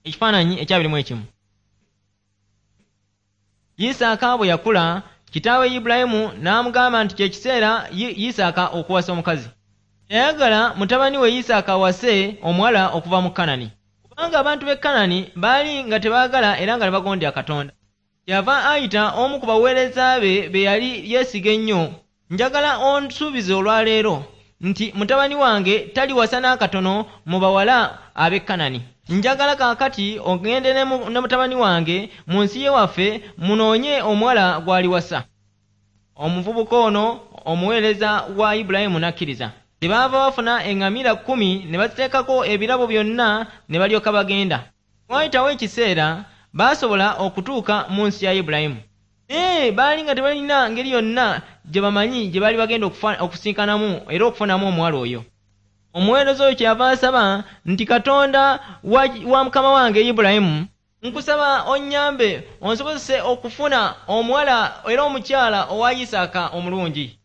Ekifaananyi ekyabiri mu emu. Isaaka bwe yakula, kitaawe Ibulayimu n'amugamba nti kye kiseera Isaaka okuwasa omukazi. Yayagala mutabani we Isaaka awase omuwala okuva mu Kanani, kubanga abantu b'e Kanani baali nga tebaagala era nga tebagondera Katonda. Kyeyava ayita omu ku baweereza be be yali yeesiga ennyo. Njagala onsuubize olwaleero nti mutabani wange taliwasa n'akatono mu bawala ab'e Kanani. Njagala kaakati ogende ne mutabani wange mu nsi y'ewaffe munoonye omuwala gw'aliwasa. Omuvubuka ono omuweereza wa Ibulayimu n'akkiriza. Kyebaava bafuna eŋŋamira 10 ne baziteekako ebirabo byonna ne balyoka bagenda. Waayitawo ekiseera baasobola okutuuka mu nsi ya Ibulayimu. Naye baali nga tebalina ngeri yonna gye bamanyi gye baali bagenda okusinkanamu era okufunamu omuwala oyo. Omuweereza oyo kyeyava asaba nti, Katonda wa mukama wange Ibulayimu, nkusaba onnyambe onsobozese okufuna omuwala era omukyala owa Isaaka omulungi.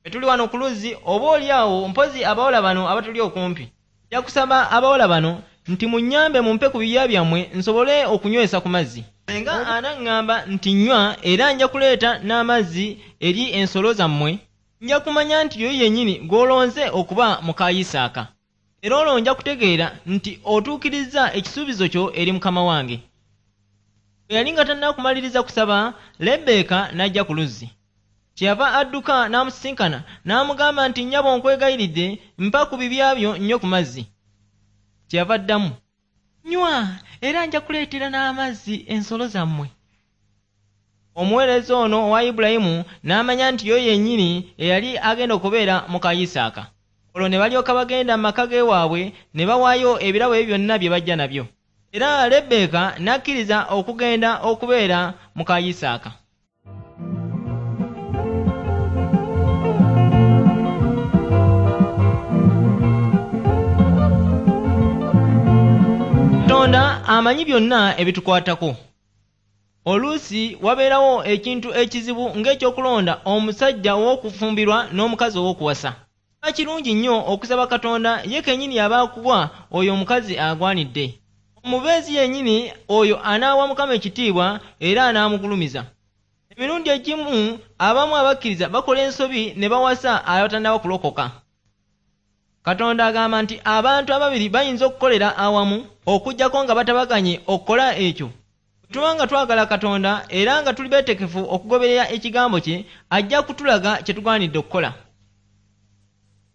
Bwe tuli wano ku luzzi, oba oli awo mpozzi abawala bano abatuli okumpi. Nja kusaba abawala bano nti munnyambe mumpe ku bibya byammwe nsobole okunywesa ku mazzi. Singa anaŋŋamba nti nnywa era nja kuleeta n'amazzi eri ensolo zammwe, nja kumanya nti yoyo yennyini gw'olonze okuba muka Isaaka. Era olwo nja kutegeera nti otuukirizza ekisuubizo kyo eri mukama wange. Bwe yali nga tannakumaliriza kusaba, Lebbeeka n'ajja ku luzzi. Kyeyava adduka n'amusisinkana n'amugamba nti, nnyabo nkwegayiridde mpa ku bibya byo nnywe ku mazzi. Kyeyava addamu, nnywa era nja kuleetera n'amazzi ensolo zammwe. Omuweereza ono owa Ibulayimu n'amanya nti yo yennyini eyali agenda okubeera muka Isaaka. Olwo ne balyoka bagenda mu maka g'ewaabwe ne bawaayo ebirabo ebyo byonna bye bajja nabyo. Era Lebbeeka n'akkiriza okugenda okubeera muka Isaaka. Katonda amanyi byonna ebitukwatako. Oluusi wabeerawo ekintu ekizibu ng'ekyokulonda omusajja ow'okufumbirwa n'omukazi ow'okuwasa. Kiba kirungi nnyo okusaba Katonda ye kennyini y'aba akuwa oyo omukazi agwanidde. Omubeezi yennyini oyo anaawa Mukama ekitiibwa era anaamugulumiza. Emirundi egimu abamu abakkiriza bakola ensobi ne bawasa abatannaba kulokoka. Katonda agamba nti abantu ababiri bayinza okukolera awamu okuggyako nga batabaganye okukola ekyo. Bwe tuba nga twagala Katonda era nga tuli beetegefu okugoberera ekigambo kye, ajja kutulaga kye tugwanidde okukola.